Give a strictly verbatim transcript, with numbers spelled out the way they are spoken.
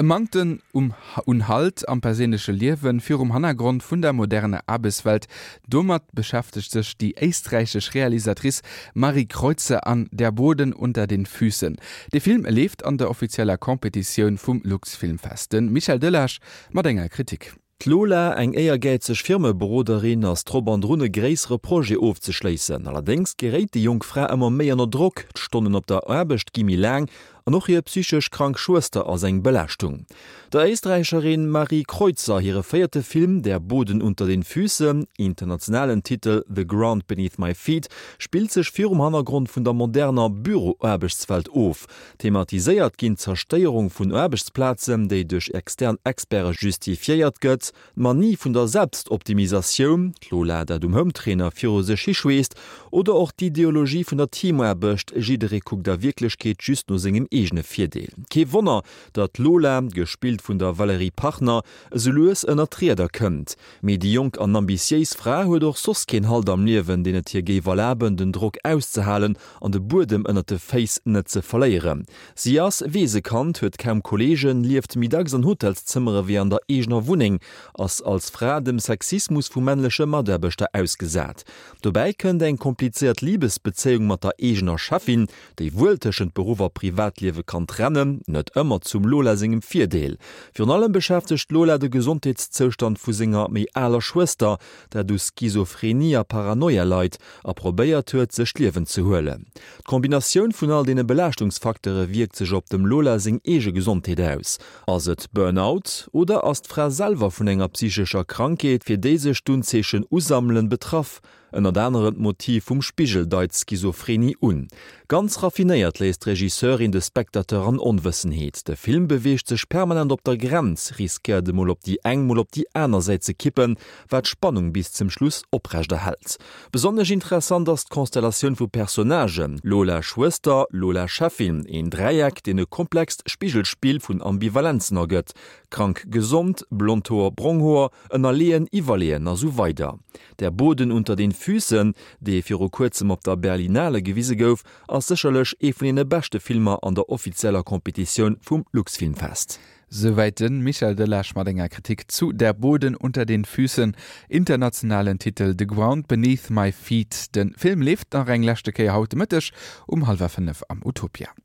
E Manktem um un Halt am perséinleche Liewen virum Hannergrond vun der moderner Aarbechtswelt, domat beschäftegt sech déi éisträichesch Realisatrice Marie Kreutzer an Der Boden unter den Füßen. De Film leeft an der offizieller Competitioun vum Luxfilmfest. De Michel Delage mat enger Kritik. D'Lola, eng éiergäizeg Firmeberoderin, ass drop an drun e gréissere Projet ofzeschléissen. Allerdéngs geréit déi jonk Fra ëmmer méi ënner Drock, d'Stonnen op der Aarbecht gi méi laang an och hir psychesch krank Schwëster ass eng Belaaschtung. Der Éisträicherin Marie Kreutzer hire véierte Film Der Boden unter den Füßen, internationalen Titel The Ground Beneath My Feet, spillt sech virum Hannergrond vun der moderner Büroaarbechtswelt of. Thematiséiert ginn d'Zerstéierung vun Aarbechtsplazen, déi duerch extern Experte justifiéiert gëtt, d'Manie vun der Selbstoptimisatioun, d'Lola, dat um Hometrainer viru sech hischweesst, oder och d'Ideologie vun der Teamaarbecht, jidderee kuckt a Wierklechkeet just no sengem eegene Virdeel. Kee Wonner, datt d'Lola, gespillt vun der Valérie Pachner, esou lues ënner d'Rieder kënnt. Mee déi jonk an ambitiéis Fra huet och soss keen Halt am Liewen, deen et hir géif erlaben, den Drock auszehalen an de Buedem ënnert de Féiss net ze verléieren. Si ass Weesekand, huet kaum Kolleegen, lieft méi dacks an Hotelszëmmere wéi an der eegener Wunneng, ass als Fra dem Sexismus vu männleche Mataarbechter ausgesat. Dobäi kënnt eng komplizéiert Libesbezéiung mat der eegener Cheffin, déi wuel tëschent Beruff a Privatliewe kann trennen, net ëmmer zum Lola sengem Virdeel. Virun allem beschäftegt d'Lola de Gesondheetszoustand vu senger méi aler Schwëster, dat u Schizophrenie a Paranoia leit a probéiert huet, sech d'Liewen ze huelen. D'Kombinatioun vun all deene Belaaschtungsfacteure wierkt sech op dem Lola seng eege Gesondheet aus. Ass et Burnout oder ass d'Fra selwer vun enger psychescher Krankheet, fir déi sech d'Unzeechen usammelen, betraff? Ënnert anerem d'Motiv vum Spigel deit Schizophrenie un. Ganz raffinéiert léisst d'Regisseurin de Spectateur an Onwëssenheet. De Film beweegt sech permanent op der Grenz, riskéiert emol op déi eng, mol op déi aner Säit ze kippen, wat d'Spannung bis zum Schluss oprechterhält. Besonnesch interessant ass d'Konstellatioun vu Personnagen, Lola Schwëster, Lola Cheffin, een Dräieck, deen e komplext Spigelspill vun Ambivalenzen ergëtt, krank gesond, blond Hoer, brong Hoer, ënnerleeën, iwwerleeën a sou weider. Der Boden unter den Füßen, dee viru kuerzem op der Berlinale gewise gouf, ass sécherlech ee vun deene beschte Filmer an der offizieller Competitioun vum Luxfilmfest. Souwäit de Michel Delage mat enger Kritik zu Der Boden unter den Füßen, internationalen Titel The Ground Beneath My Feet. De Film leeft nach eng leschte Kéier haut de Mëtteg um hallwer fënnef am Utopia.